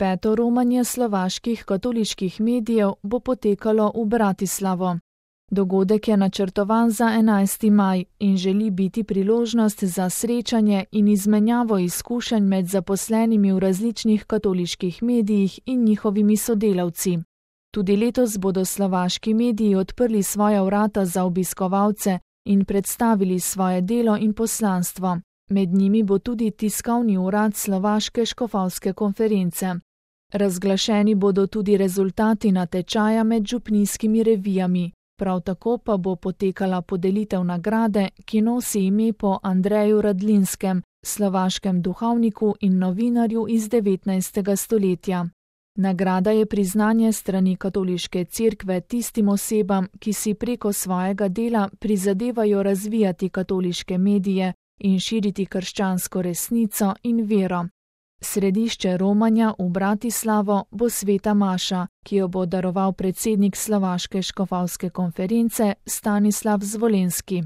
5. romanje slovaških katoliških medijev bo potekalo v Bratislavo. Dogodek je načrtovan za 11. maj in želi biti priložnost za srečanje in izmenjavo izkušenj med zaposlenimi v različnih katoliških medijih in njihovimi sodelavci. Tudi letos bodo slovaški mediji odprli svoja vrata za obiskovalce in predstavili svoje delo in poslanstvo. Med njimi bo tudi tiskovni urad Slovaške škofovske konference. Razglašeni bodo tudi rezultati natečaja med župnijskimi revijami. Prav tako pa bo potekala podelitev nagrade, ki nosi ime po Andreju Radlinskem, slovaškem duhovniku in novinarju iz 19. stoletja. Nagrada je priznanje strani katoliške cerkve tistim osebam, ki si preko svojega dela prizadevajo razvijati katoliške medije in širiti krščansko resnico in vero. Središče romanja v Bratislavo bo sveta maša, ki jo bo daroval predsednik Slovaške škofovske konference Stanislav Zvolenski.